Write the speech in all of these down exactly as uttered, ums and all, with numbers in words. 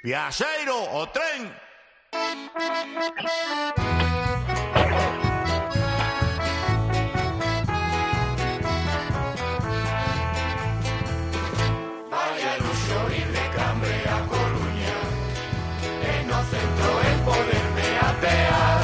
Viaxeiro, o tren! Vaya luxo ir de Cambre a Coruña, e no centro el poderme apear.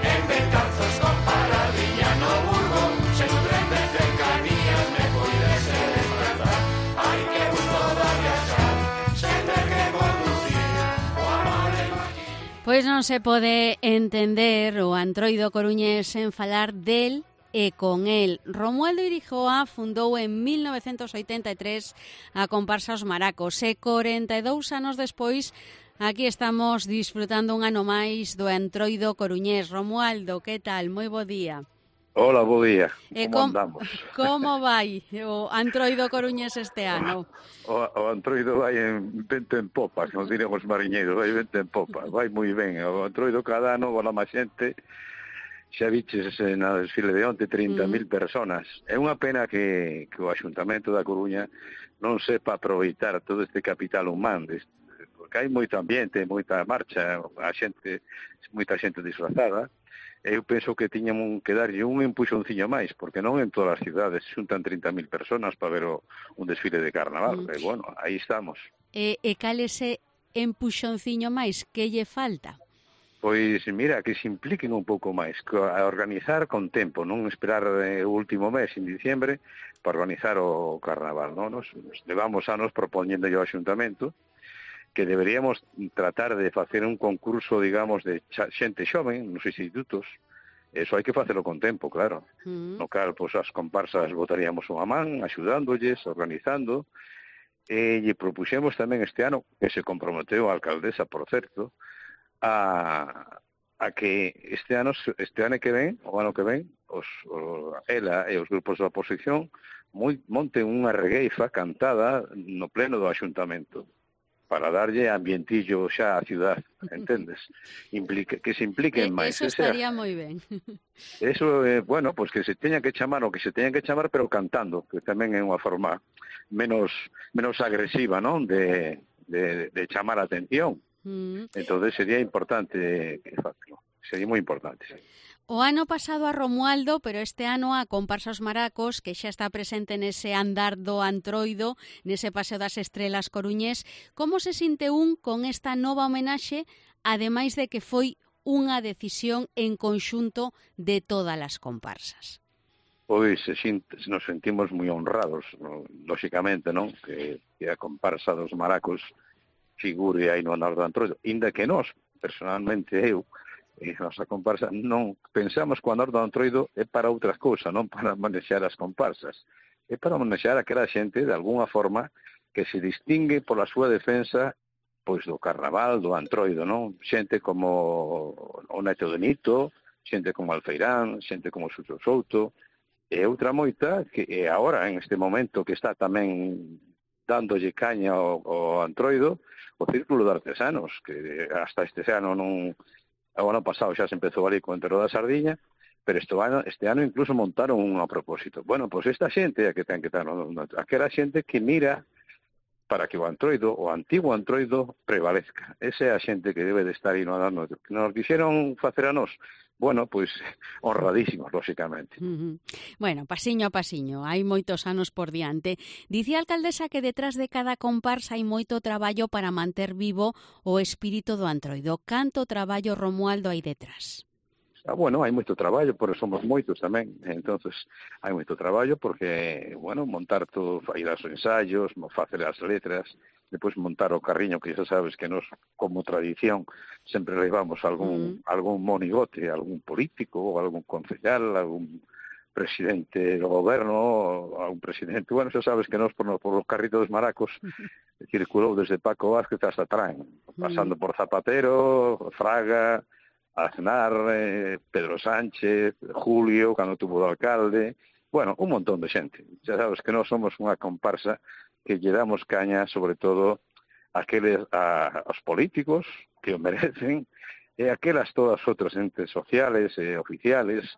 En Betanzos con paradiña no Burgo, se un tren de cercanías me puidese desplazar. Ai que gusto da viaxar, sen ter que conducir, o amarelo aquí. Pois non se pode entender o antroido coruñés sen falar del e con el. Romualdo Irigoa fundou en mil novecentos oitenta e tres a comparsa Os Maracos e corenta e dous anos despois aquí estamos disfrutando un ano máis do antroido coruñés. Romualdo, que tal? Moi bo día. Hola, bo día. E Como com, andamos? como vai o antroido coruñés este ano? O, o antroido vai en vento en popa, como dirían os mariñeiros, vai vento en popa, vai moi ben. O antroido cada ano, bola máis xente, xa viches na desfile de onte trinta mil mm. personas. É unha pena que, que o Axuntamento da Coruña non sepa aproveitar todo este capital humano, porque hai moito ambiente, moita marcha, a xente, moita xente disfrazada. Eu penso que tiñamos que darlle un empuxonciño máis, porque non en todas as cidades xuntan trinta mil personas para ver o, un desfile de carnaval. Mm. E, bueno, aí estamos. E, e cal ese empuxonciño máis? Que lle falta? Pois, mira, que se impliquen un pouco máis, a organizar con tempo, non esperar o último mes, en diciembre, para organizar o carnaval, non? Nos, nos levamos anos propoñendo ao Axuntamento que deberíamos tratar de facer un concurso, digamos, de xente xoven nos institutos. Eso hai que facelo con tempo, claro. Mm. No cal, pois, as comparsas botaríamos unha man, axudándolles, organizando, e lle propuxemos tamén este ano, que se comprometeu a alcaldesa, por certo, a, a que este ano este ano que ven, o ano que ven, os, o, ela e os grupos da oposición moi, monten unha regueifa cantada no pleno do Axuntamento para darlle ambientillo xa á ciudad, entendes? Implique, que se impliquen máis. Eso estaría moi ben. Eso, eh, bueno, pois pues que se teña que chamar o que se teña que chamar, pero cantando, que tamén é unha forma menos menos agresiva, non? De, de, de chamar a atención. Mm. Entonces sería importante que facelo. Sería moi importante, sí. O ano pasado a Romualdo, pero este ano a comparsa Os Maracos, que xa está presente nese andar do antroido, nese paseo das estrelas coruñés. Como se sinte un con esta nova homenaxe, ademais de que foi unha decisión en conxunto de todas as comparsas? Pois nos sentimos moi honrados, no, lóxicamente, non? Que, que a comparsa dos Maracos figure aí no andar do antroido, inda que nós, personalmente eu, e a nosa comparsa, non pensamos que o andar do antroido é para outras cousas, non para manexar as comparsas, é para manexar aquela xente de alguna forma que se distingue pola súa defensa pois do carnaval, do antroido, non? Xente como o Neto de Nito, xente como Alfeirán, xente como Sucho Souto, e outra moita que é agora, en este momento, que está tamén dándolle caña ao, ao antroido, o Círculo de Artesanos, que hasta este ano non... O ano pasado xa se empezou ali con o Enterro da Sardiña, pero este ano, este ano incluso montaron un a propósito. Bueno, pois esta xente é que ten que estar, no, no, aquela xente que mira para que o antroido, o antigo antroido, prevalezca. Esa é a xente que debe de estar aí no andando. Que nos quixeron facer a nós, bueno, pois honradísimos, lóxicamente. Uh-huh. Bueno, pasiño a pasiño, hai moitos anos por diante. Dicía a alcaldesa que detrás de cada comparsa hai moito traballo para manter vivo o espírito do antroido. Canto traballo, Romualdo, hai detrás? Ah, bueno, hai moito traballo, porque somos moitos tamén, entonces hai moito traballo porque, bueno, montar todo, ir aos ensaios, facer as letras, depois montar o carriño, que xa sabes que nos, como tradición, sempre levamos algún, mm. algún monigote, algún político, ou algún concejal, algún presidente do goberno, algún presidente, bueno, xa sabes que nos por, por os carritos dos Maracos circulou desde Paco Vázquez hasta Trán, pasando mm. por Zapatero, Fraga, Aznar, eh, Pedro Sánchez, Julio, cando tuvo de alcalde, bueno, un montón de xente. Xa sabes que nós somos unha comparsa que lle damos caña, sobre todo, aqueles, a, aos políticos que o merecen, e aquelas todas outras entes sociales e oficiales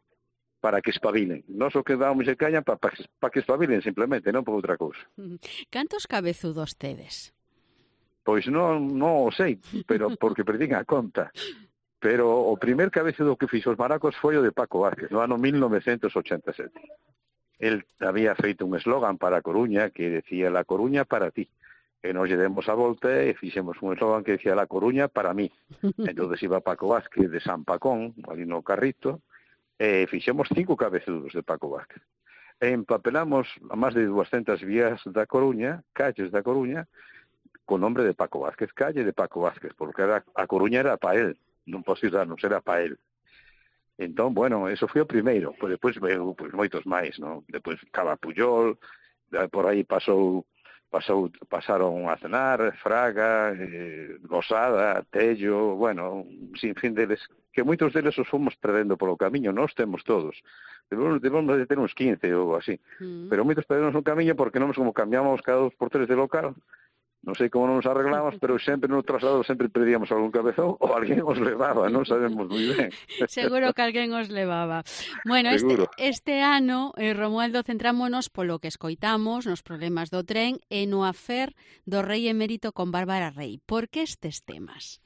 para que espabilen. Nós o que damos de caña para pa, pa que espabilen, simplemente, non por outra cousa. Cantos cabezudos tedes? Pois non, non o sei, pero porque perdín a conta. Pero o primer cabecedo que fixo os maracos foi o de Paco Vázquez, no ano mil novecentos ochenta e sete. El había feito un eslogan para a Coruña que decía La Coruña para ti. E nos lle demos a volta e fixemos un eslogan que decía La Coruña para mí. Entonces iba Paco Vázquez de San Pacón, ali no Carrito, e fixemos cinco cabecedos de Paco Vázquez. E empapelamos a máis de doscientas vías da Coruña, calles da Coruña, con nombre de Paco Vázquez, calle de Paco Vázquez, porque era, a Coruña era para él, non para os ciudadanos, era para él. Entón, bueno, eso foi o primeiro, pois depois veu pois, moitos máis, non? Depois Cava Puyol, por aí pasou, pasou, pasaron a cenar, Fraga, eh, Gosada, Tello, bueno, sin fin deles, que moitos deles os fomos perdendo polo camiño, nós temos todos. Debemos, debemos de ter uns quince ou así, mm. pero moitos perdemos no camiño porque non como cambiamos cada dos por tres de local. Non sei como nos arreglamos, pero sempre no traslado sempre perdíamos algún cabezón ou alguén os levaba, non sabemos moi ben. Seguro que alguén os levaba. Bueno, este, este ano, eh, Romualdo, centrámonos polo que escoitamos nos problemas do tren e no afer do rei emérito con Bárbara Rey. Por que estes temas?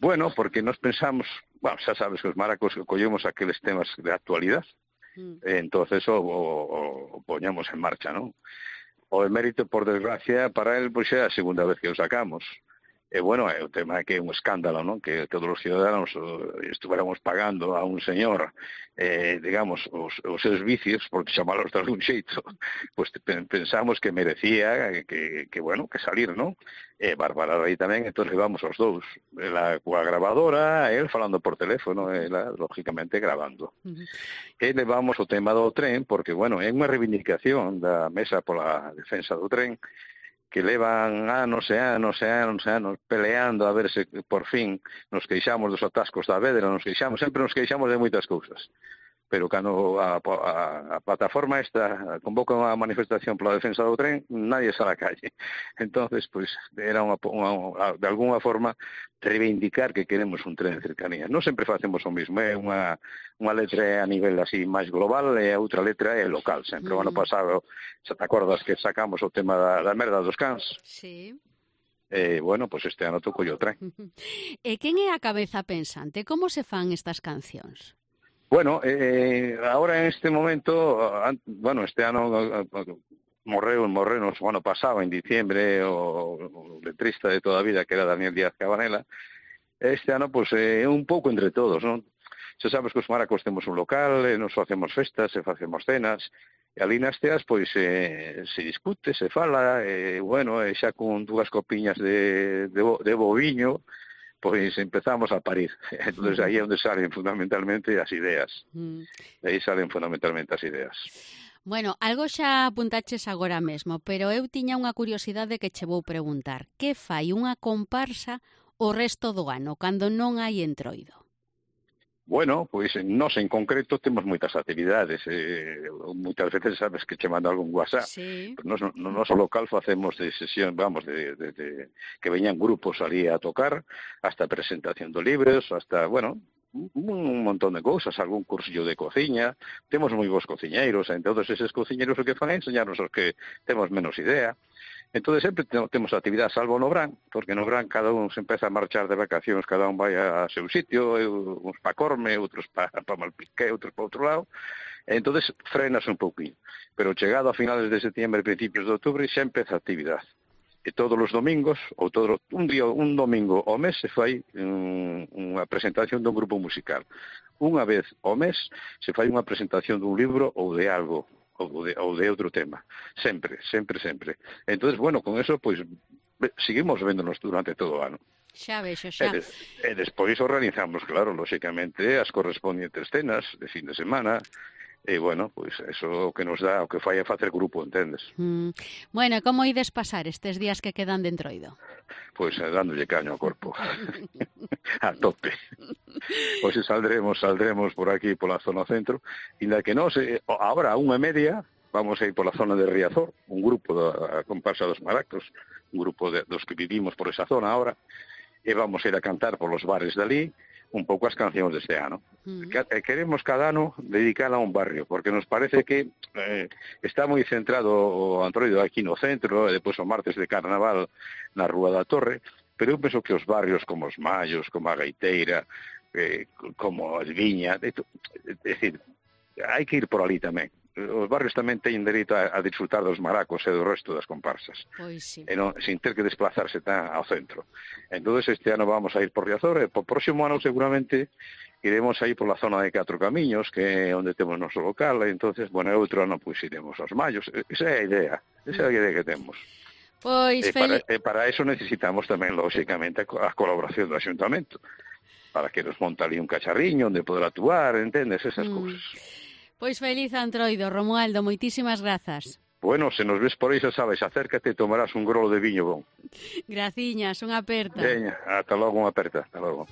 Bueno, porque nos pensamos, bueno, xa sabes que os maracos collemos aqueles temas de actualidade, mm. e entonces o, o, o poñamos en marcha, non? O emérito, por desgracia, para él, pois é a segunda vez que o sacamos. E, bueno, é o tema que é un escándalo, non? Que todos os ciudadanos estuviéramos pagando a un señor, eh, digamos, os, os seus vicios, por chamalos de algún xeito, pois pensamos que merecía que, que, bueno, que salir, non? E Bárbara Rey tamén, entón levamos os dous. Ela coa grabadora, el falando por teléfono, ela, lógicamente, grabando. Uh-huh. E levamos o tema do tren, porque, bueno, é unha reivindicación da Mesa pola Defensa do Tren, que levan anos e anos e anos e anos peleando a ver se por fin nos queixamos dos atascos da Vedra, nos queixamos, sempre nos queixamos de moitas cousas. Pero cando a, a, a plataforma esta convoca unha manifestación pola defensa do tren, nadie sale á calle. Entonces, pois, era unha, unha, de alguna forma reivindicar que queremos un tren de cercanía. Non sempre facemos o mismo, é unha, unha letra a nivel así máis global e a outra letra é local. Sempre, mm. o ano pasado, xa te acordas que sacamos o tema da, da merda dos cans? Sí. Eh, bueno, pois pues este ano tocou o tren. E quen é a cabeza pensante? Como se fan estas cancións? Bueno, eh, ahora en este momento, bueno, este ano morreu, morreu no ano pasado, en diciembre, o, o letrista de toda a vida, que era Daniel Díaz Cabanela. Este ano, pois, é eh, un pouco entre todos, non? Xa sabes que os maracos temos un local, e nos facemos festas, e facemos cenas, e ali nas teas, pois, eh, se discute, se fala, e, bueno, e xa con dúas copiñas de, de, de boviño, pois empezamos a parir. Entonces aí é onde salen fundamentalmente as ideas. Mm. Aí salen fundamentalmente as ideas. Bueno, algo xa apuntaches agora mesmo, pero eu tiña unha curiosidade que che vou preguntar. Que fai unha comparsa o resto do ano, cando non hai entroido? Bueno, pois nós en concreto temos moitas actividades, eh, moitas veces sabes que che mando algún WhatsApp, sí. Nos, no noso local facemos de sesión, vamos, de, de, de que veñan grupos ali a tocar, hasta presentación de libros, hasta, bueno, un montón de cousas, algún cursillo de cociña, temos moi bons cociñeiros, e todos eses cociñeiros o que fan é enseñarnos os que temos menos idea. Entón, sempre temos actividade salvo no Brán, porque no Brán cada un se empeza a marchar de vacacións, cada un vai a seu sitio, uns pa Corme, outros pa, pa Malpiqué, outros pa outro lado, e entón frenas un pouquinho. Pero chegado a finales de setembro e principios de outubro xa empeza a actividade. E todos os domingos, ou todo un día, un domingo ao mes, se fai um, unha presentación dun grupo musical. Unha vez ao mes se fai unha presentación dun libro ou de algo, ou de, ou de outro tema. Sempre, sempre, sempre. Entonces, bueno, con eso, pois, seguimos véndonos durante todo o ano. Xa vexo, xa. E, de, e despois organizamos, claro, lóxicamente, as correspondientes cenas de fin de semana. E, bueno, pois, eso que nos dá, o que fai é facer grupo, entendes? Mm. Bueno, como ides pasar estes días que quedan de entroido? Pois, eh, dándolle caño ao corpo. A tope. Pois saldremos, saldremos por aquí, pola zona centro, inda que nos, eh, agora a unha e media, vamos a ir pola zona de Riazor, un grupo da comparsa dos maracos, un grupo de, dos que vivimos por esa zona ahora, e vamos a ir a cantar polos bares dali, un pouco as cancións deste ano. Mm. Que, queremos cada ano dedicala a un barrio, porque nos parece que eh, está moi centrado o Antroido aquí no centro, e depois o martes de Carnaval na Rúa da Torre, pero eu penso que os barrios como os Mallos, como a Gaiteira, eh, como a Viña, é dicir, hai que ir por ali tamén. Os barrios tamén teñen dereito a, a disfrutar dos maracos e do resto das comparsas. Pois sí. E non, sin ter que desplazarse tan ao centro. Entón, este ano vamos a ir por Riazor, e po próximo ano seguramente iremos aí por la zona de Catro Camiños, que é onde temos noso local, e entonces, bueno, outro ano pois iremos aos Mallos. Esa é a idea, esa é a idea que temos. Pois, e, para, e para eso necesitamos tamén, lógicamente, a colaboración do Axuntamento, para que nos monta ali un cacharriño onde poder actuar, entendes, esas mm. cousas. Pois feliz Antroido, Romualdo, moitísimas grazas. Bueno, se nos ves por aí, xa sabes, acércate e tomarás un grolo de viño bon. Graciñas, unha aperta. Veña, ata logo, unha aperta, ata logo.